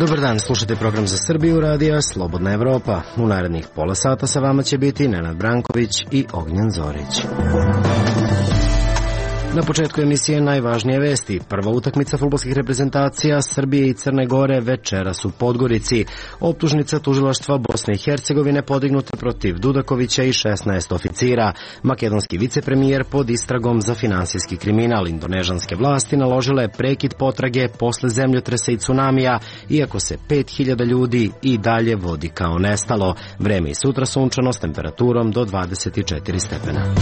Dobar dan, slušajte program za Srbiju, radija Slobodna Evropa. U narednih pola sata sa vama će biti Nenad Branković i Ognjen Zorić. Na početku emisije najvažnije vesti. Prva utakmica fudbalskih reprezentacija Srbije i Crne Gore večeras u Podgorici. Optužnica tužilaštva Bosne i Hercegovine podignuta protiv Dudakovića i 16 oficira. Makedonski vicepremijer pod istragom za finansijski kriminal. Indonežanske vlasti naložile prekid potrage posle zemljotresa i tsunamija, iako se 5000 ljudi i dalje vodi kao nestalo. Vreme i sutra sunčano s temperaturom do 24 stepena.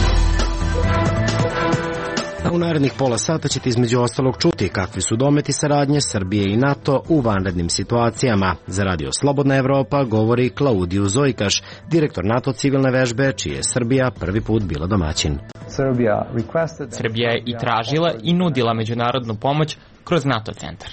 A u narednih pola sata ćete između ostalog čuti kakvi su dometi saradnje Srbije i NATO u vanrednim situacijama. Za radio Slobodna Evropa govori Klaudiju Zojkaš, direktor NATO civilne vežbe, čiji je Srbija prvi put bila domaćin. Srbija je i tražila i nudila međunarodnu pomoć kroz NATO centar.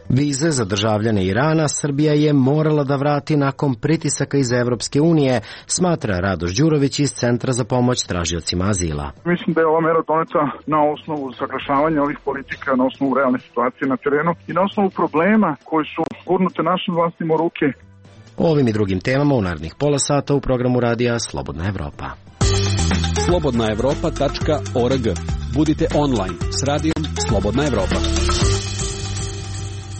Vize za državljane Irana Srbija je morala da vrati nakon pritisaka iz Evropske unije, smatra Radoš Đurović iz Centra za pomoć tražiocima azila. Mislim da je ova mera doneta na osnovu saglašavanja ovih politika, na osnovu realne situacije na terenu i na osnovu problema koji su gurnute našim vlastima u ruke. O ovim i drugim temama u narednih pola sata u programu radija Slobodna Evropa. slobodnaevropa.org. Budite online s radijom Slobodna Evropa.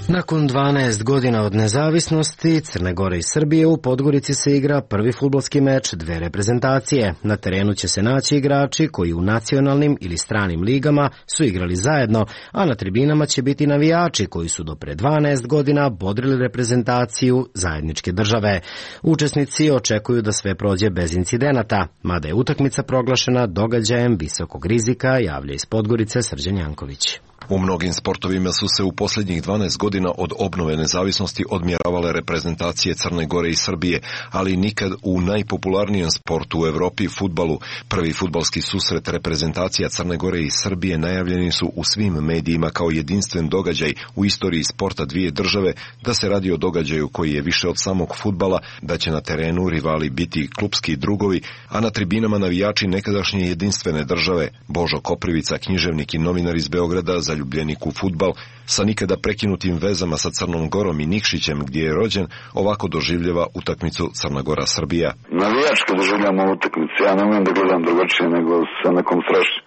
Nakon 12 godina od nezavisnosti, Crne Gore i Srbije u Podgorici se igra prvi fudbalski meč dve reprezentacije. Na terenu će se naći igrači koji u nacionalnim ili stranim ligama su igrali zajedno, a na tribinama će biti navijači koji su do pre 12 godina bodrili reprezentaciju zajedničke države. Učesnici očekuju da sve prođe bez incidenata, mada je utakmica proglašena događajem visokog rizika, javlja iz Podgorice Srđan Janković. U mnogim sportovima su se u posljednjih 12 godina od obnove nezavisnosti odmjeravale reprezentacije Crne Gore i Srbije, ali nikad u najpopularnijem sportu u Evropi, fudbalu. Prvi fudbalski susret reprezentacija Crne Gore i Srbije najavljeni su u svim medijima kao jedinstven događaj u istoriji sporta dvije države, da se radi o događaju koji je više od samog fudbala, da će na terenu rivali biti klupski drugovi, a na tribinama navijači nekadašnje jedinstvene države. Božo Koprivica, književnik i novinar iz Beograda, zaljubljenik u fudbal, sa nikada prekinutim vezama sa Crnom Gorom i Nikšićem gdje je rođen, ovako doživljava utakmicu Crna Gora-Srbija. Navijački doživljam ovu utakmicu, ja ne umem da gledam drugačije nego sa nekom strašću.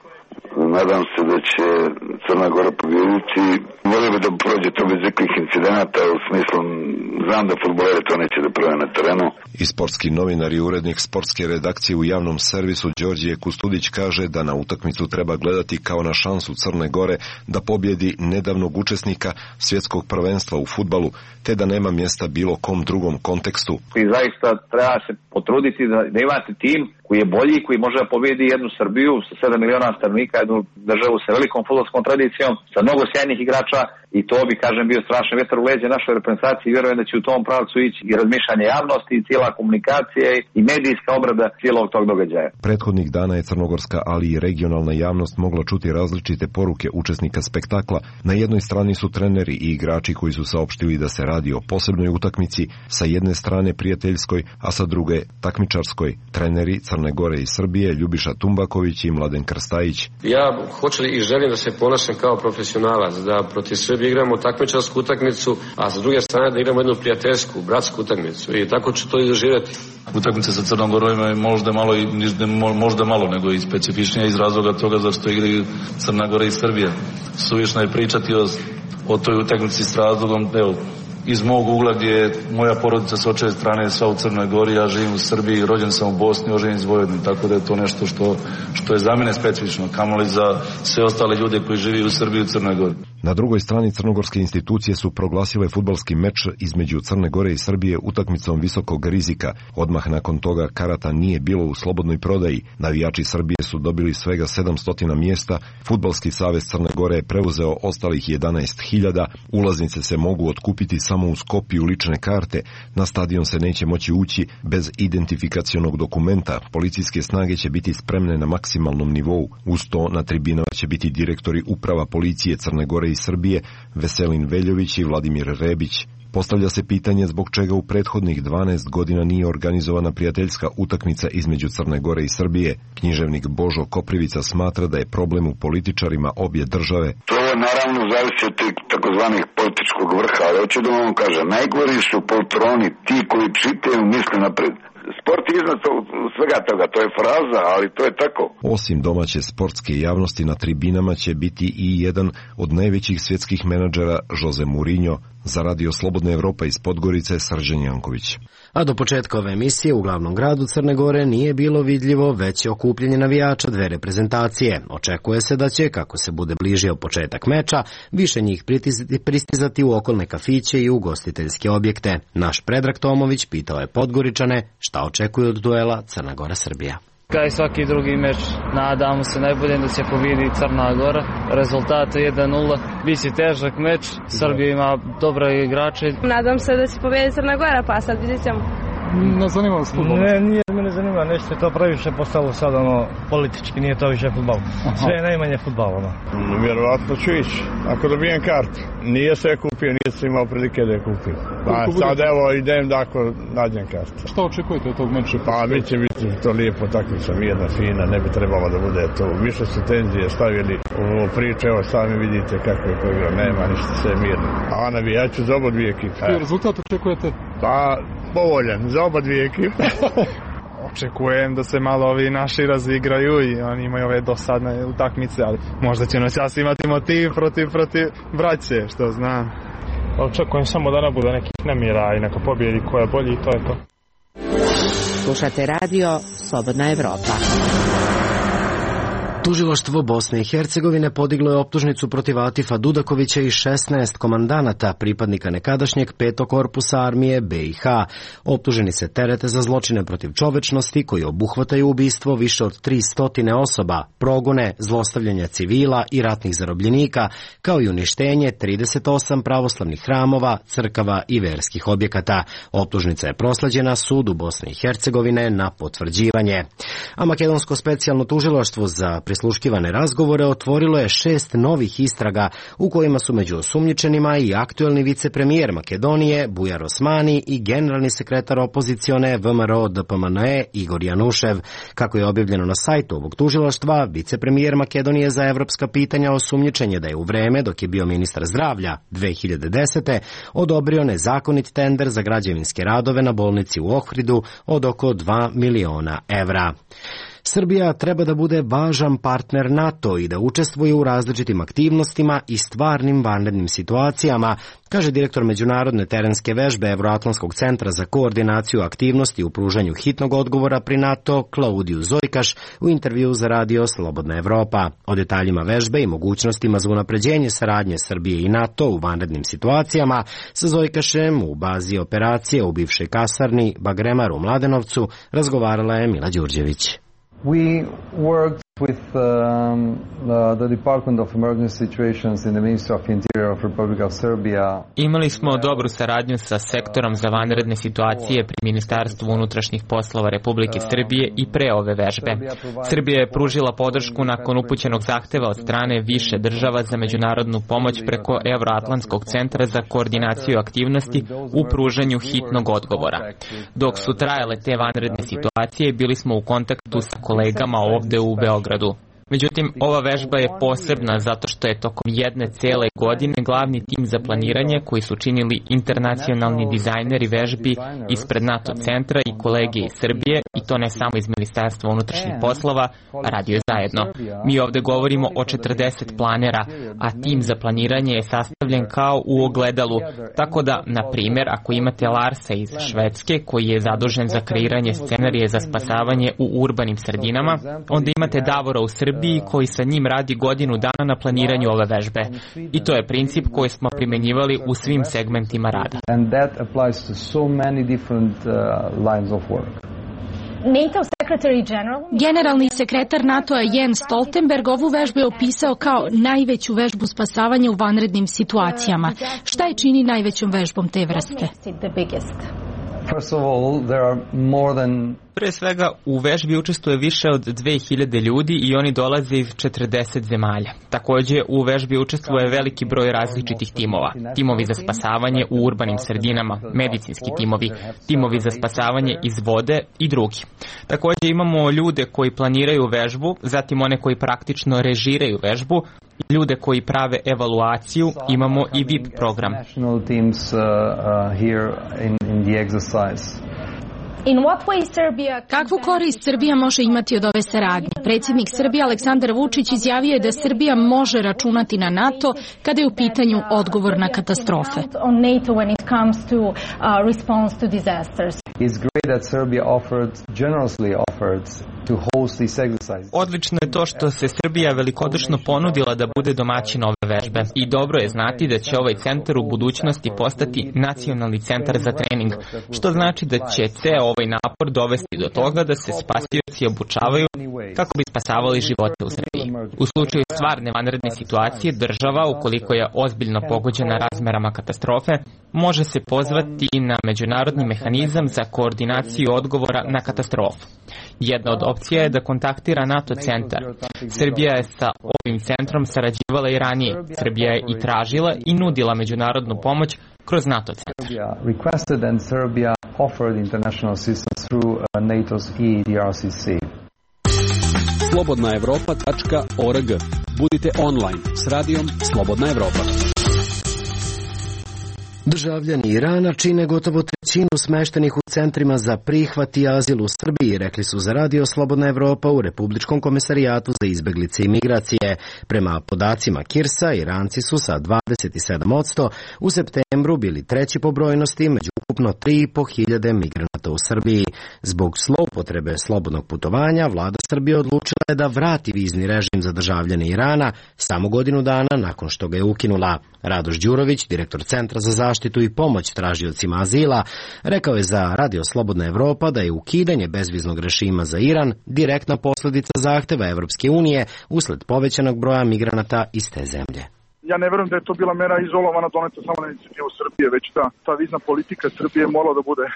Nadam se da će Crna Gora pobijediti. Volio bi da prođe to bez nekih incidenata, u smislu znam da fudbaleri to neće da prave na terenu. I sportski novinar i urednik sportske redakcije u javnom servisu Đorđije Kustudić kaže da na utakmicu treba gledati kao na šansu Crne Gore da pobjedi nedavnog učesnika svjetskog prvenstva u fudbalu, te da nema mjesta bilo kom drugom kontekstu. I zaista treba se potruditi da imate tim koji je bolji, koji može da pobjedi jednu Srbiju sa 7 miliona stanovnika, jednu državu sa velikom fudbalskom tradicijom, sa mnogo sjajnih igrača, i to bi, kažem, bio strašan vjetar u leđe našoj reprezentaciji i vjerujem da će u tom pravcu ići i razmišljanje javnosti, i cijela komunikacija i medijska obrada cijelog tog događaja. Prethodnih dana je crnogorska, ali i regionalna javnost mogla čuti različite poruke učesnika spektakla. Na jednoj strani su treneri i igrači koji su saopštili da se radi o posebnoj utakmici, sa jedne strane prijateljskoj, a sa druge takmičarskoj. Treneri Crne Gore i Srbije Ljubiša Tumbaković i Mladen Krstajić. Ja hoću i želim da se ponašam kao profesionalac, da protiv Srbije igramo takmičarsku utakmicu, a sa druge strane da igramo jednu prijateljsku, bratsku utakmicu, i tako ću to i doživjeti. Utakmica sa Crnom Gorom je možda malo nego i specifičnija iz razloga toga zašto igraju Crna Gora i Srbija. Suvišno je pričati o toj utakmici s razlogom, evo, iz mog ugla gdje moja porodica s očeve strane je sva u Crnoj Gori, ja živim u Srbiji, rođen sam u Bosni, oženjen iz Vojvodine, tako da je to nešto što je za mene specifično, kamoli za sve ostale ljude koji žive u Srbiji i u Crnoj Gori. Na drugoj strani crnogorske institucije su proglasile fudbalski meč između Crne Gore i Srbije utakmicom visokog rizika. Odmah nakon toga karata nije bilo u slobodnoj prodaji. Navijači Srbije su dobili svega 700 mjesta. Fudbalski savez Crne Gore je preuzeo ostalih 11.000. Ulaznice se mogu otkupiti samo uz kopiju lične karte. Na stadion se neće moći ući bez identifikacionog dokumenta. Policijske snage će biti spremne na maksimalnom nivou. Uz to na tribinama će biti direktori uprava policije Crne Gore i Srbije, Veselin Veljović i Vladimir Rebić. Postavlja se pitanje zbog čega u prethodnih 12 godina nije organizovana prijateljska utakmica između Crne Gore i Srbije. Književnik Božo Koprivica smatra da je problem u političarima obje države. To je naravno zavisi od tih takozvanih političkog vrha, ali hoću da vam kažem, najgori su poltroni, ti koji čitaju misle napred. Sport je iznad svega toga, to je fraza, ali to je tako. Osim domaće sportske javnosti, na tribinama će biti i jedan od najvećih svjetskih menadžera, Jose Mourinho, za Radio Slobodna Evropa iz Podgorice, Srđan Janković. A do početka ove emisije u glavnom gradu Crne Gore nije bilo vidljivo veće okupljanje navijača dve reprezentacije. Očekuje se da će, kako se bude bližio početak meča, više njih pristizati u okolne kafiće i ugostiteljske objekte. Naš Predrag Tomović pitao je Podgoričane šta očekuju od duela Crna Gora-Srbija. Kao i svaki drugi meč, nadamo se najbolje da će pobedi Crna Gora. Rezultat 1-0, biće težak meč, Srbija ima dobre igrače. Nadam se da će pobedi Crna Gora, pa sad vidjet ćemo. Ne zanima vas futbol? Nije me ne zanima, nešto je to previše postalo sad politički, nije to više futbol. Sve je najmanje futbol. Vjerovatno ću ići, ako dobijem kartu. Nije se kupio, nije se imao prilike da je kupio. Sad evo idem da ako nađem kartu. Šta očekujete od tog meča? Pa biće to lijepo takmica, mirna, fina, ne bi trebalo da bude to. Više su tenzije stavili u priče, evo sami vidite kako je igra, nema ništa, sve je mirno. A navijaću za oba dvije ekipe. Koji rezultat očekujete? Pa povoljan, za oba dvije ekipe. Očekujem da se malo ovi naši razigraju i oni imaju ove dosadne utakmice, ali možda će noćas imati motiv protiv braće, što znam. Očekujem samo da ne bude nekih nemira i neka pobjedi koja je bolji i to je to. Slušate radio Slobodna Evropa. Tužilaštvo Bosne i Hercegovine podiglo je optužnicu protiv Atifa Dudakovića i 16 komandanata, pripadnika nekadašnjeg 5. korpusa armije BiH. Optuženi se terete za zločine protiv čovečnosti koji obuhvataju ubistvo više od 300 osoba, progone, zlostavljanja civila i ratnih zarobljenika, kao i uništenje 38 pravoslavnih hramova, crkava i verskih objekata. Optužnica je prosleđena sudu Bosne i Hercegovine na potvrđivanje. A makedonsko specijalno tužilaštvo za prisluškivane razgovore otvorilo je 6 novih istraga u kojima su među osumnjičenima i aktuelni vicepremijer Makedonije Bujar Osmani i generalni sekretar opozicione VMRO DPMNE Igor Janušev. Kako je objavljeno na sajtu ovog tužilaštva, vicepremijer Makedonije za evropska pitanja osumnjičen je da je u vreme dok je bio ministar zdravlja 2010. odobrio nezakonit tender za građevinske radove na bolnici u Ohridu od oko 2 miliona evra. Srbija treba da bude važan partner NATO i da učestvuje u različitim aktivnostima i stvarnim vanrednim situacijama, kaže direktor međunarodne terenske vežbe Evroatlantskog centra za koordinaciju aktivnosti u pružanju hitnog odgovora pri NATO Klaudiju Zojkaš u intervju za radio Slobodna Evropa. O detaljima vežbe i mogućnostima za unapređenje saradnje Srbije i NATO u vanrednim situacijama sa Zojkašem u bazi operacije u bivšoj kasarni Bagremar u Mladenovcu razgovarala je Mila Đurđević. We worked with the Department of Emergency Situations in the Ministry of Interior of Republic of Serbia. Imali smo dobru saradnju sa sektorom za vanredne situacije pri Ministarstvu unutrašnjih poslova Republike Srbije i pre ove vežbe. Srbija je pružila podršku nakon upućenog zahteva od strane više država za međunarodnu pomoć preko Evroatlantskog centra za koordinaciju aktivnosti u pružanju hitnog odgovora. Dok su trajale te vanredne situacije, bili smo u kontaktu sa kolegama ovde u Beogradu. Međutim, ova vežba je posebna zato što je tokom jedne cele godine glavni tim za planiranje koji su činili internacionalni dizajneri vežbi ispred NATO centra i kolege iz Srbije, i to ne samo iz Ministarstva unutrašnjih poslova, radio zajedno. Mi ovde govorimo o 40 planera, a tim za planiranje je sastavljen kao u ogledalu. Tako da, na primjer, ako imate Larsa iz Švedske koji je zadužen za kreiranje scenarije za spasavanje u urbanim sredinama, onda imate Davora u Srbiji koji sa njim radi godinu dana na planiranju ove vežbe. I to je princip koji smo primenjivali u svim segmentima rada. Generalni sekretar NATO-a Jens Stoltenberg ovu vežbu je opisao kao najveću vežbu spasavanja u vanrednim situacijama. Šta je čini najvećom vežbom te vrste? Pre svega, u vežbi učestvuje više od 2000 ljudi i oni dolaze iz 40 zemalja. Takođe, u vežbi učestvuje veliki broj različitih timova. Timovi za spasavanje u urbanim sredinama, medicinski timovi, timovi za spasavanje iz vode i drugi. Takođe, imamo ljude koji planiraju vežbu, zatim one koji praktično režiraju vežbu, ljude koji prave evaluaciju, imamo i VIP program. Kakvu korist Srbija može imati od ove saradnje? Predsjednik Srbije Aleksandar Vučić izjavio je da Srbija može računati na NATO kada je u pitanju odgovor na katastrofe. Odlično je to što se Srbija velikodušno ponudila da bude domaćin ove vežbe i dobro je znati da će ovaj centar u budućnosti postati nacionalni centar za trening, što znači da će ceo ovaj napor dovesti do toga da se spasioci obučavaju kako bi spasavali živote u Srbiji. U slučaju stvarne vanredne situacije, država, ukoliko je ozbiljno pogođena razmerama katastrofe, može se pozvati na međunarodni mehanizam za koordinaciju odgovora na katastrofu. Jedna od opcija je da kontaktira NATO centar. Srbija je sa ovim centrom sarađivala i ranije. Srbija je i tražila i nudila međunarodnu pomoć kroz NATO centar. Slobodnaevropa.org. Budite online s radijom Slobodna Evropa. Državljani Irana čine gotovo trećinu smeštenih u centrima za prihvat i azil u Srbiji, rekli su za radio Slobodna Evropa u Republičkom komesarijatu za izbeglice i migracije. Prema podacima Kirsa, Iranci su sa 27% u septembru bili treći po brojnosti među ukupno 3.500 migranata u Srbiji. Zbog zloupotrebe slobodnog putovanja, vlada Srbije odlučila je da vrati vizni režim za državljane Irana samo godinu dana nakon što ga je ukinula. Radoš Đurović, direktor Centra za zaštitu i pomoć tražiocima azila, rekao je za radio Slobodna Evropa da je ukidanje bezviznog režima za Iran direktna posljedica zahteva Evropske unije usled povećanog broja migranata iz te zemlje. Ja ne verujem da je to bila mera izolovana, doneta samo na inicijativu Srbije, već ta vizna politika Srbije morala da bude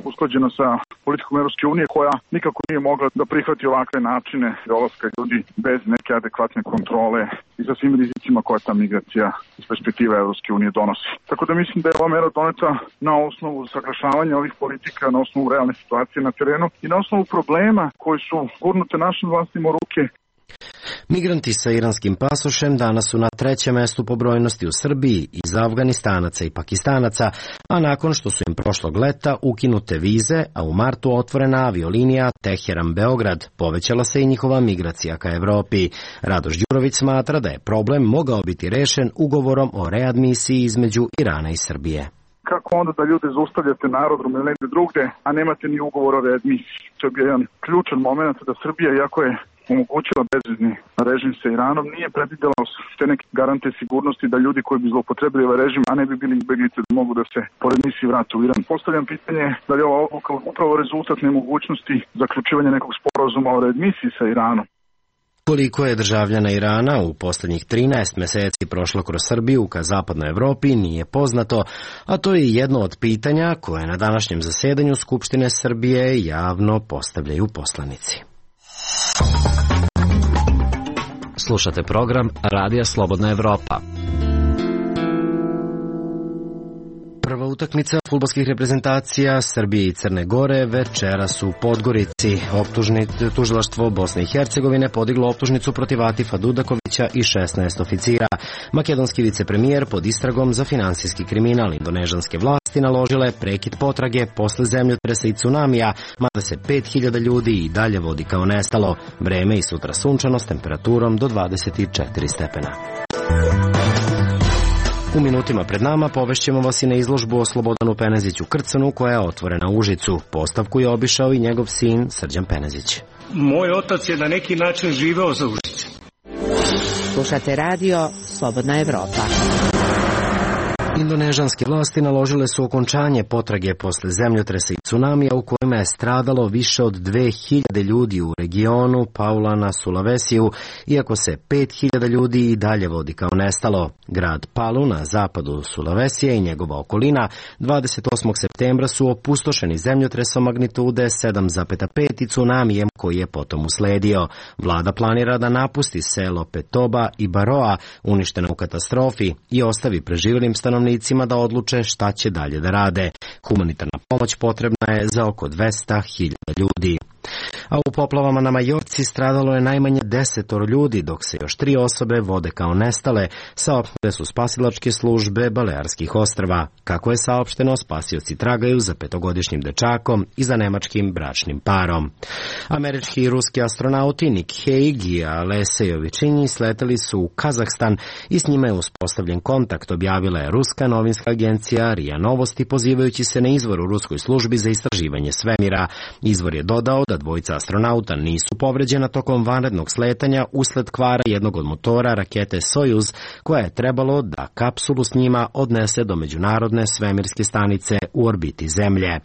usklađena sa politikom Evropske unije, koja nikako nije mogla da prihvati ovakve načine dolaska ljudi bez neke adekvatne kontrole i sa svim rizicima koja ta migracija iz perspektive Evropske unije donosi. Tako da mislim da je ova mera doneta na osnovu saglašavanja ovih politika, na osnovu realne situacije na terenu i na osnovu problema koji su gurnute našim vlastima u ruke. Migranti sa iranskim pasošem danas su na trećem mestu po brojnosti u Srbiji iz Afganistanaca i Pakistanaca, a nakon što su im prošlog leta ukinute vize, a u martu otvorena aviolinija Teheran-Beograd, povećala se i njihova migracija ka Evropi. Radoš Đurović smatra da je problem mogao biti rešen ugovorom o readmisiji između Irana i Srbije. Kako onda da ljude zaustavljate na aerodromu ili negde drugde, a nemate ni ugovor o readmisiji? To je bio jedan ključan moment da Srbija, iako je omogućila bezvizni režim sa Iranom, nije predvidela te neke garante sigurnosti da ljudi koji bi zloupotrebili ovaj režim, a ne bi bili izbeglice, da mogu da se pored misiji vrate u Iran. Postavljam pitanje da je ova odluka upravo rezultat nemogućnosti zaključivanja nekog sporazuma o readmisiji sa Iranom. Koliko je državljana Irana u poslednjih 13 meseci prošlo kroz Srbiju ka zapadnoj Evropi nije poznato, a to je jedno od pitanja koje na današnjem zasedanju Skupštine Srbije javno postavljaju poslanici. Slušate program Radija Slobodna Evropa. Prva utakmica fudbalskih reprezentacija Srbije i Crne Gore večeras u Podgorici. Tužilaštvo Bosne i Hercegovine podiglo optužnicu protiv Atifa Dudakovića i 16 oficira. Makedonski vicepremijer pod istragom za finansijski kriminal. Indonežanske vlasti naložile prekid potrage posle zemljotresa i tsunamija, mada se 5000 ljudi i dalje vodi kao nestalo. Vreme i sutra sunčano s temperaturom do 24 stepena. U minutima pred nama povešćemo vas i na izložbu o Slobodanu Peneziću Krcanu koja je otvorena u Užicu. Postavku je obišao i njegov sin Srđan Penezić. Moj otac je na neki način živeo za Užice. Slušate radio Slobodna Evropa. Indonežanske vlasti naložile su okončanje potrage posle zemljotresa i tsunamija u kojima je stradalo više od 2000 ljudi u regionu Paula Sulawesiju, iako se 5000 ljudi i dalje vodi kao nestalo. Grad Palu na zapadu Sulawesije i njegova okolina 28. septembra su opustošeni zemljotresom magnitude 7,5 i tsunamijem koji je potom usledio. Vlada planira da napusti selo Petoba i Baroa, uništena u katastrofi, i ostavi preživjelim stanovnicima da odluče šta će dalje da rade. Humanitarna pomoć potrebna je za oko 200.000 ljudi. A u poplavama na Majorci stradalo je najmanje 10 ljudi, dok se još 3 osobe vode kao nestale, saopštile su spasilačke službe Balearskih ostrva. Kako je saopšteno, spasioci tragaju za 5-godišnjim dečakom i za nemačkim bračnim parom. Američki i ruski astronauti Nick Hague i Alesej Ovičinji sleteli su u Kazahstan i s njima je uspostavljen kontakt, objavila je ruska novinska agencija RIA Novosti, pozivajući se na izvor u ruskoj službi za istraživanje svemira. Izvor je dodao da dvojica astronauta nisu povređena tokom vanrednog sletanja usled kvara jednog od motora rakete Sojuz, koja je trebalo da kapsulu s njima odnese do međunarodne svemirske stanice u orbiti Zemlje.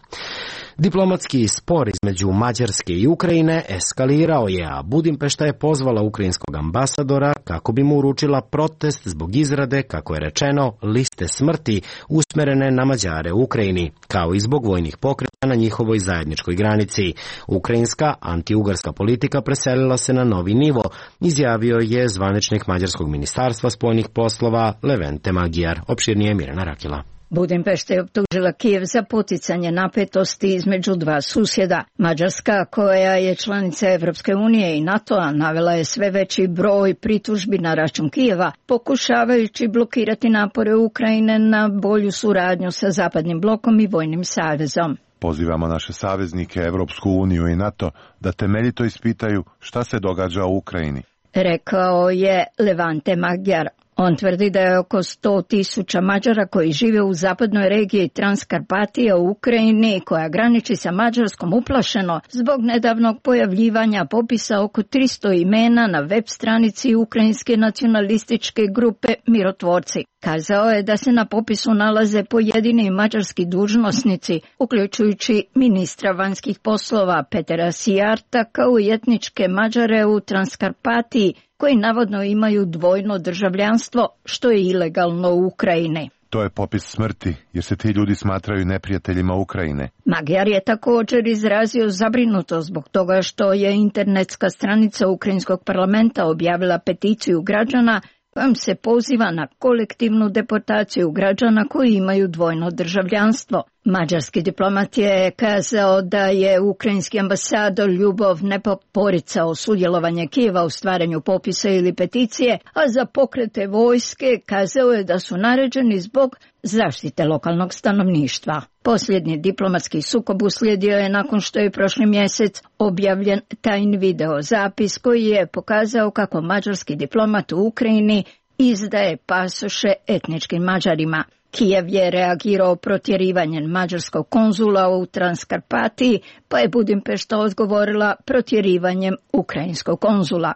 Diplomatski spor između Mađarske i Ukrajine eskalirao je, a Budimpešta je pozvala ukrajinskog ambasadora kako bi mu uručila protest zbog izrade, kako je rečeno, liste smrti usmerene na Mađare u Ukrajini, kao i zbog vojnih pokreta na njihovoj zajedničkoj granici. Ukrajinska antiugarska politika preselila se na novi nivo, izjavio je zvaničnik Mađarskog ministarstva spoljnih poslova Levente Magyar. Opširnije Mirjana Rakila. Budimpešta je optužila Kijev za poticanje napetosti između dva susjeda. Mađarska, koja je članica Evropske unije i NATO-a, navela je sve veći broj pritužbi na račun Kijeva, pokušavajući blokirati napore Ukrajine na bolju suradnju sa Zapadnim blokom i Vojnim savezom. Pozivamo naše saveznike, Evropsku uniju i NATO da temeljito ispitaju šta se događa u Ukrajini, rekao je Levente Magyar. On tvrdi da je oko 100.000 Mađara koji žive u zapadnoj regiji Transkarpatija u Ukrajini, koja graniči sa Mađarskom, uplašeno zbog nedavnog pojavljivanja popisa oko 300 imena na web stranici ukrajinske nacionalističke grupe Mirotvorci. Kazao je da se na popisu nalaze pojedini mađarski dužnosnici, uključujući ministra vanjskih poslova Petera Sijarta, kao i etničke Mađare u Transkarpatiji, koji navodno imaju dvojno državljanstvo, što je ilegalno u Ukrajini. To je popis smrti, jer se ti ljudi smatraju neprijateljima Ukrajine. Magyar je također izrazio zabrinutost zbog toga što je internetska stranica Ukrajinskog parlamenta objavila peticiju građana kojom se poziva na kolektivnu deportaciju građana koji imaju dvojno državljanstvo. Mađarski diplomat je kazao da je ukrajinski ambasador Ljubov Nepop poricao sudjelovanje Kijeva u stvaranju popisa ili peticije, a za pokrete vojske kazao je da su naređeni zbog zaštite lokalnog stanovništva. Posljednji diplomatski sukob uslijedio je nakon što je prošli mjesec objavljen tajni video zapis koji je pokazao kako mađarski diplomat u Ukrajini izdaje pasoše etničkim Mađarima. Kijev je reagirao protjerivanjem mađarskog konzula u Transkarpatiji, pa je Budimpešta odgovorila protjerivanjem ukrajinskog konzula.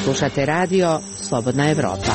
Slušate radio Slobodna Evropa.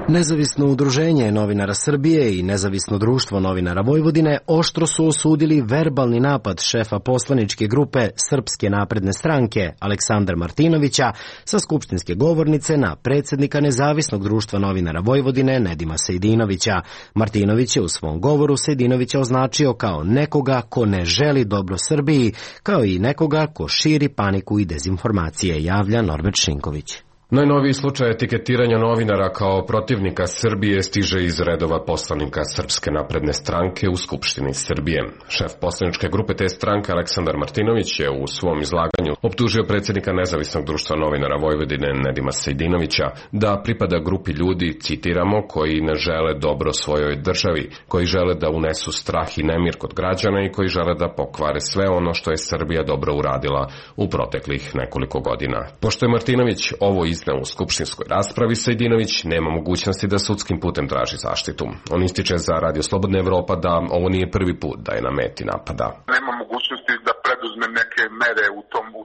Nezavisno udruženje novinara Srbije i Nezavisno društvo novinara Vojvodine oštro su osudili verbalni napad šefa poslaničke grupe Srpske napredne stranke Aleksandra Martinovića sa skupštinske govornice na predsjednika Nezavisnog društva novinara Vojvodine Nedima Sejdinovića. Martinović je u svom govoru Sejdinovića označio kao nekoga ko ne želi dobro Srbiji, kao i nekoga ko širi paniku i dezinformacije, javlja Norbert Šinković. Najnoviji slučaj etiketiranja novinara kao protivnika Srbije stiže iz redova poslanika Srpske napredne stranke u Skupštini Srbije. Šef poslaničke grupe te stranke Aleksandar Martinović je u svom izlaganju optužio predsjednika Nezavisnog društva novinara Vojvodine Nedima Sejdinovića da pripada grupi ljudi, citiramo, koji ne žele dobro svojoj državi, koji žele da unesu strah i nemir kod građana i koji žele da pokvare sve ono što je Srbija dobro uradila u proteklih nekoliko godina. Pošto je Martinović ovo u skupštinskoj raspravi, Sejdinović nema mogućnosti da sudskim putem traži zaštitu. On ističe za Radio Slobodna Evropa da ovo nije prvi put da je na meti napada. Nema mogućnosti da preduzme neke mere u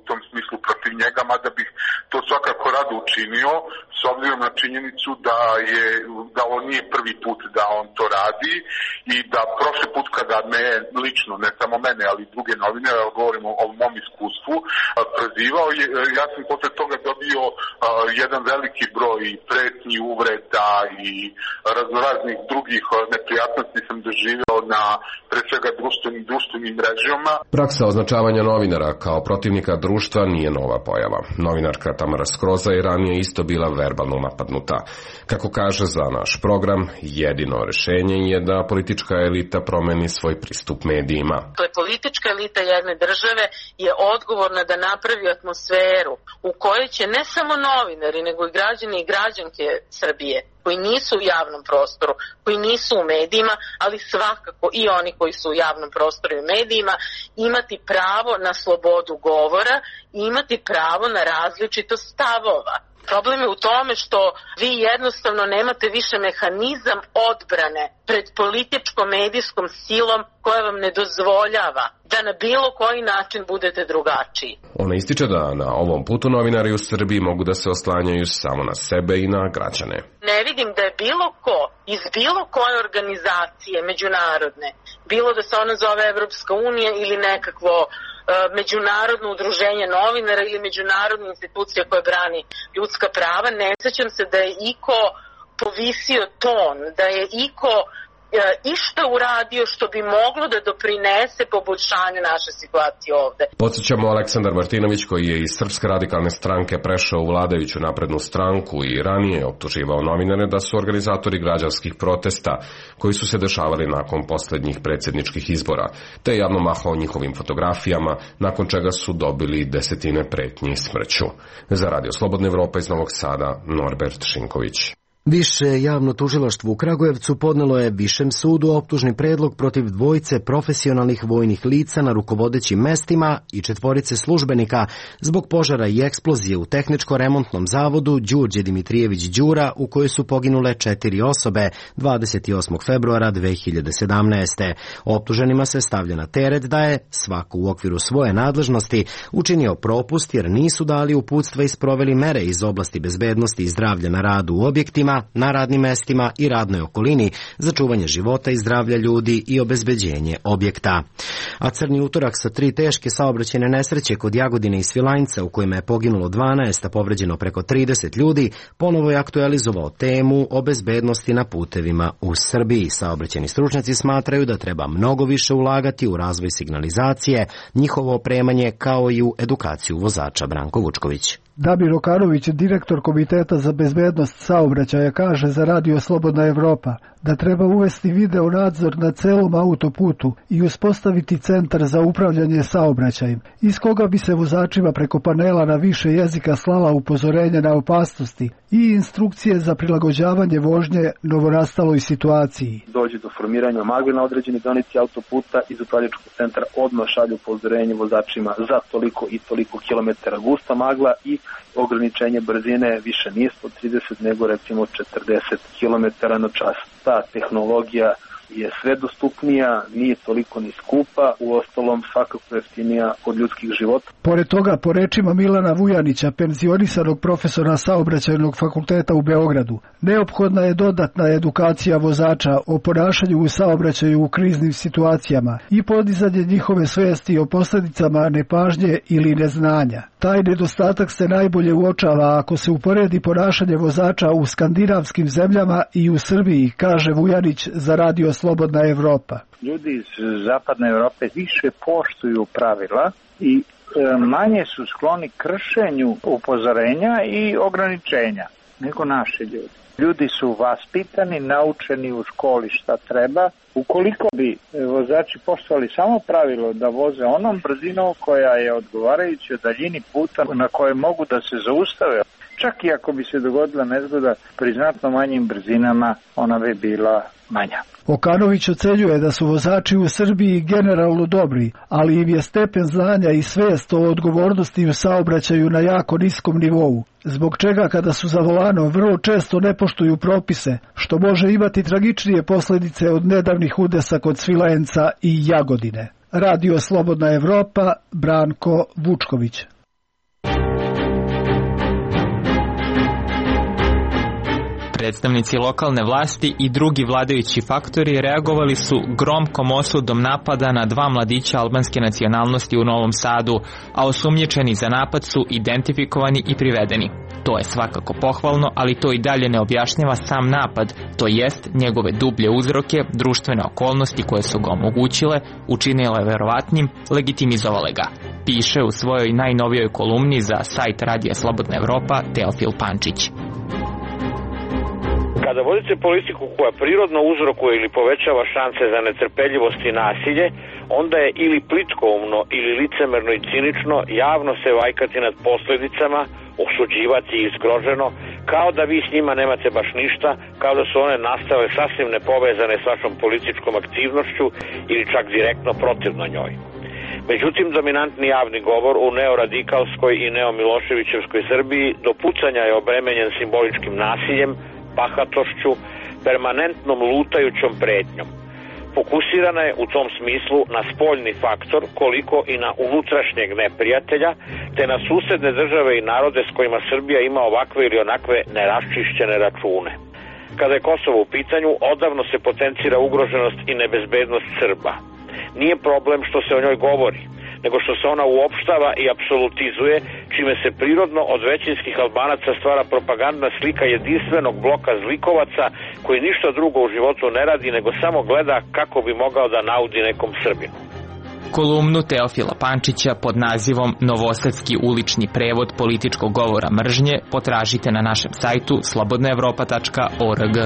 tom smislu protiv njega, mada bih to svakako rado učinio, s obzirom na činjenicu da on nije prvi put da on to radi i da prošli put kada me lično, ne samo mene, ali druge novinare, govorimo o mom iskustvu, prozivao, ja sam posle toga dobio jedan veliki broj pretnji, uvreda i raznoraznih drugih neprijatnosti sam doživeo na pre svega društvenim mrežama. Praksa označavanja novinara kao protivnika društva nije nova pojava. Novinarka Tamara Skroza je ranije isto bila verbalno verbalno napadnuta. Kako kaže za naš program, jedino rešenje je da politička elita promeni svoj pristup medijima. To je politička elita jedne države je odgovorna da napravi atmosferu u kojoj će ne samo novinari, nego i građani i građanke Srbije koji nisu u javnom prostoru, koji nisu u medijima, ali svakako i oni koji su u javnom prostoru i u medijima, imati pravo na slobodu govora i imati pravo na različitost stavova. Problem je u tome što vi jednostavno nemate više mehanizam odbrane pred političkom medijskom silom koja vam ne dozvoljava da na bilo koji način budete drugačiji. Ona ističe da na ovom putu novinari u Srbiji mogu da se oslanjaju samo na sebe i na građane. Ne vidim da je bilo ko iz bilo koje organizacije međunarodne, bilo da se ona zove Evropska unija ili nekakvo međunarodno udruženje novinara ili međunarodna institucija koja brani ljudska prava, ne sećam se da je iko povisio ton, da je iko išta uradio što bi moglo da doprinese poboljšanju naše situacije ovde. Podsjećamo, Aleksandar Martinović, koji je iz Srpske radikalne stranke prešao u vladajuću naprednu stranku i ranije optuživao novinare da su organizatori građanskih protesta koji su se dešavali nakon poslednjih predsjedničkih izbora, te javno mahao njihovim fotografijama, nakon čega su dobili desetine pretnji smrću. Za Radio Slobodna Evropa iz Novog Sada, Norbert Šinković. Više javno tužilaštvo u Kragujevcu podnelo je Višem sudu optužni predlog protiv dvojice profesionalnih vojnih lica na rukovodećim mestima i 4 službenika zbog požara i eksplozije u tehničko-remontnom zavodu Đurđe Dimitrijević Đura u kojoj su poginule 4 osobe 28. februara 2017. Optuženima se stavlja na teret da je svako u okviru svoje nadležnosti učinio propust jer nisu dali uputstva i sproveli mere iz oblasti bezbednosti i zdravlja na radu u objektima, na radnim mestima i radnoj okolini za čuvanje života i zdravlja ljudi i obezbeđenje objekta. A crni utorak sa 3 teške saobraćajne nesreće kod Jagodine i Svilajnca u kojima je poginulo 12, a povređeno preko 30 ljudi, ponovo je aktualizovao temu o bezbednosti na putevima u Srbiji. Saobraćajni stručnjaci smatraju da treba mnogo više ulagati u razvoj signalizacije, njihovo opremanje kao i u edukaciju vozača. Branko Vučković. Damir Okanović, direktor Komiteta za bezbednost saobraćaja, kaže za Radio Slobodna Evropa da treba uvesti video nadzor na celom autoputu i uspostaviti centar za upravljanje saobraćajem, iz koga bi se vozačima preko panela na više jezika slala upozorenja na opasnosti i instrukcije za prilagođavanje vožnje novonastaloj situaciji. Dođe do formiranja magle na određeni deonici autoputa, iz upravljačkog centra odmah šalju upozorenje vozačima za toliko i toliko kilometara gusta magla i ograničenje brzine više nije 130 nego recimo 40 km na čas. Ta tehnologija je sve dostupnija, nije toliko ni skupa, uostalom svakako jeftinija od ljudskih života. Pored toga, po rečima Milana Vujanića, penzionisanog profesora Saobraćajnog fakulteta u Beogradu, neophodna je dodatna edukacija vozača o ponašanju u saobraćaju u kriznim situacijama i podizanje njihove svesti o posljedicama nepažnje ili neznanja. Taj nedostatak se najbolje uočava ako se uporedi ponašanje vozača u skandinavskim zemljama i u Srbiji, kaže Vujanić za Radio Slobodna Evropa. Ljudi iz zapadne Evrope više poštuju pravila i manje su skloni kršenju upozorenja i ograničenja nego naši ljudi. Ljudi su vaspitani, naučeni u školi šta treba. Ukoliko bi vozači poštovali samo pravilo da voze onom brzinom koja je odgovarajuća daljini puta na koje mogu da se zaustave, čak i ako bi se dogodila nezgoda pri znatno manjim brzinama, ona bi bila manja. Okanović ocenjuje da su vozači u Srbiji generalno dobri, ali im je stepen znanja i svest o odgovornosti u saobraćaju na jako niskom nivou, zbog čega kada su za volanom vrlo često ne poštuju propise, što može imati tragičnije posljedice od nedavnih udesa kod Svilajnca i Jagodine. Radio Slobodna Evropa, Branko Vučković. Predstavnici lokalne vlasti i drugi vladajući faktori reagovali su gromkom osudom napada na 2 mladića albanske nacionalnosti u Novom Sadu, a osumnjičeni za napad su identifikovani i privedeni. To je svakako pohvalno, ali to i dalje ne objašnjava sam napad, to jest njegove dublje uzroke, društvene okolnosti koje su ga omogućile, učinile verovatnim, legitimizovale ga. Piše u svojoj najnovijoj kolumni za sajt Radija Slobodna Evropa Teofil Pančić. Kada vodite politiku koja prirodno uzrokuje ili povećava šanse za netrpeljivost i nasilje, onda je ili plitkoumno ili licemerno i cinično javno se vajkati nad posledicama, osuđivati i zgroženo, kao da vi s njima nemate baš ništa, kao da su one nastale sasvim nepovezane s vašom političkom aktivnošću ili čak direktno protivno njoj. Međutim, dominantni javni govor u neoradikalskoj i neomiloševićevskoj Srbiji do pucanja je obremenjen simboličkim nasiljem, bahatošću, permanentnom lutajućom pretnjom. Fokusirana je u tom smislu na spoljni faktor koliko i na unutrašnjeg neprijatelja, te na susedne države i narode s kojima Srbija ima ovakve ili onakve neraščišćene račune. Kada je Kosovo u pitanju, odavno se potencira ugroženost i nebezbednost Srba. Nije problem što se o njoj govori, nego što se ona uopštava i apsolutizuje, čime se prirodno od većinskih Albanaca stvara propagandna slika jedinstvenog bloka zlikovaca koji ništa drugo u životu ne radi, nego samo gleda kako bi mogao da naudi nekom Srbinu. Kolumnu Teofila Pančića pod nazivom Novosadski ulični prevod političkog govora mržnje potražite na našem sajtu slobodnaevropa.org.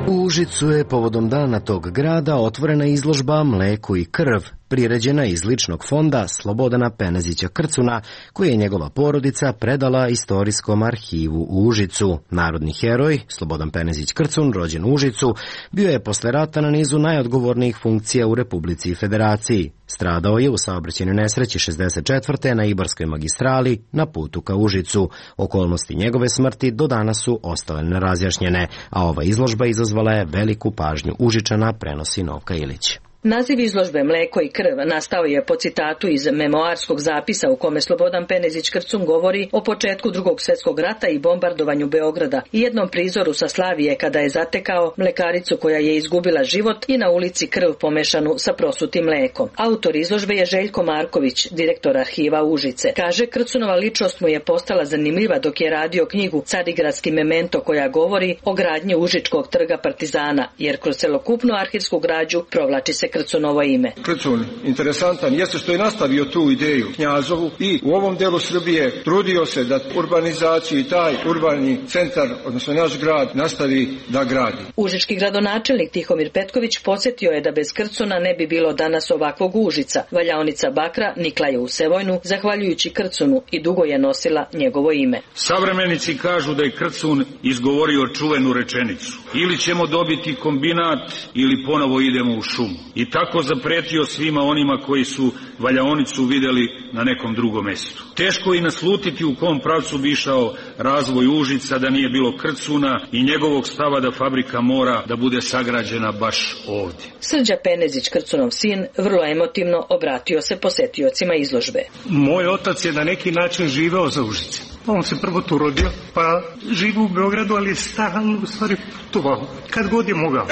U Užicu je povodom dana tog grada otvorena izložba Mleko i krv, priređena iz ličnog fonda Slobodana Penezića Krcuna, koji je njegova porodica predala Istorijskom arhivu u Užicu. Narodni heroj, Slobodan Penezić Krcun, rođen u Užicu, bio je posle rata na nizu najodgovornijih funkcija u Republici i Federaciji. Stradao je u saobraćajnoj nesreći 64. na Ibarskoj magistrali na putu ka Užicu. Okolnosti njegove smrti do danas su ostale nerazjašnjene, a ova izložba izazvala je veliku pažnju Užičana, prenosi Novka Ilić. Naziv izložbe Mleko i krv nastao je po citatu iz memoarskog zapisa u kome Slobodan Penezić Krcun govori o početku Drugog svjetskog rata i bombardovanju Beograda i jednom prizoru sa Slavije kada je zatekao mlekaricu koja je izgubila život i na ulici krv pomešanu sa prosutim mlekom. Autor izložbe je Željko Marković, direktor arhiva Užice. Kaže, Krcunova ličnost mu je postala zanimljiva dok je radio knjigu Carigradski memento koja govori o gradnji Užičkog trga Partizana, jer kroz celokupnu arhivsku građu provlači se Krcunovo ime. Krcun, interesantan, jeste što je nastavio tu ideju Knjazovu i u ovom delu Srbije trudio se da urbanizaciju i taj urbani centar, odnosno naš grad, nastavi da gradi. Užički gradonačelnik Tihomir Petković podsjetio je da bez Krcuna ne bi bilo danas ovakvog Užica. Valjaonica bakra nikla je u Sevojnu, zahvaljujući Krcunu, i dugo je nosila njegovo ime. Savremenici kažu da je Krcun izgovorio čuvenu rečenicu: ili ćemo dobiti kombinat ili ponovo idemo u šumu. I tako zapretio svima onima koji su valjaonicu videli na nekom drugom mestu. Teško je naslutiti u kom pravcu bi išao razvoj Užica da nije bilo Krcuna i njegovog stava da fabrika mora da bude sagrađena baš ovdje. Srđa Penezić, Krcunov sin, vrlo emotivno obratio se posetiocima izložbe. Moj otac je na neki način živeo za Užicem. On se prvo tu rodio, pa živi u Beogradu, ali je stalno u stvari putovao, kad god je mogao.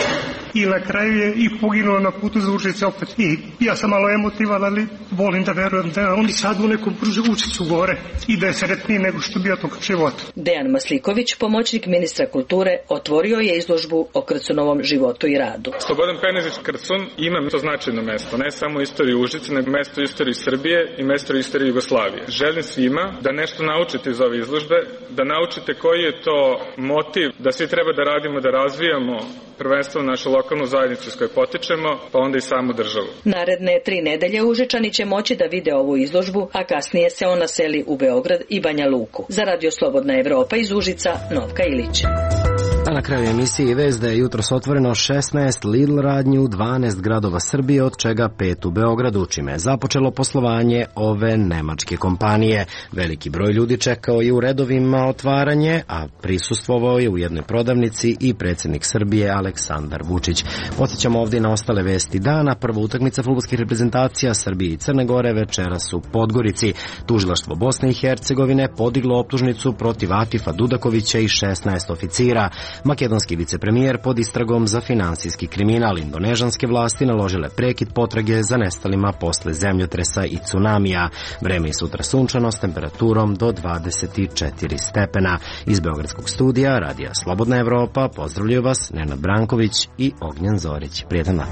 I na kraju je i poginuo na putu za Užice opet. I ja sam malo emotivan, ali volim da verujem da oni sad u nekom Užicu gore i da je sretniji nego što bio tog života. Dejan Masliković, pomoćnik ministra kulture, otvorio je izložbu o Krcunovom životu i radu. Slobodan Penezić Krcun ima to značajno mesto, ne samo u istoriji Užice, nego mesto u istoriji Srbije i mesto u istoriji Jugoslavije. Želim svima da nešto naučite iz ove izložbe, da naučite koji je to motiv, da svi treba da radimo, da razvijamo prvenstveno našu lokalnu zajednicu s kojoj potičemo, pa onda i samu državu. Naredne 3 nedelje Užičani će moći da vide ovu izložbu, a kasnije se ona seli u Beograd i Banja Luku. Za Radio Slobodna Evropa iz Užica, Novka Ilić. A na kraju emisije vest da je jutros otvoreno 16 Lidl radnji u 12 gradova Srbije, od čega 5 u Beogradu, čime je započelo poslovanje ove nemačke kompanije. Veliki broj ljudi čekao je u redovima otvaranje, a prisustvovao je u jednoj prodavnici i predsjednik Srbije Aleksandar Vučić. Podsjećamo ovdje na ostale vesti dana. Prva utakmica fudbalskih reprezentacija Srbije i Crne Gore večeras u Podgorici. Tužilaštvo Bosne i Hercegovine podiglo optužnicu protiv Atifa Dudakovića i 16 oficira. Makedonski vicepremijer pod istragom za finansijski kriminal. Indonežanske vlasti naložile prekid potrage za nestalima posle zemljotresa i tsunamija. Vreme je sutra sunčano s temperaturom do 24 stepena. Iz Beogradskog studija Radija Slobodna Evropa pozdravljaju vas Nenad Branković i Ognjen Zorić. Prijetan dan.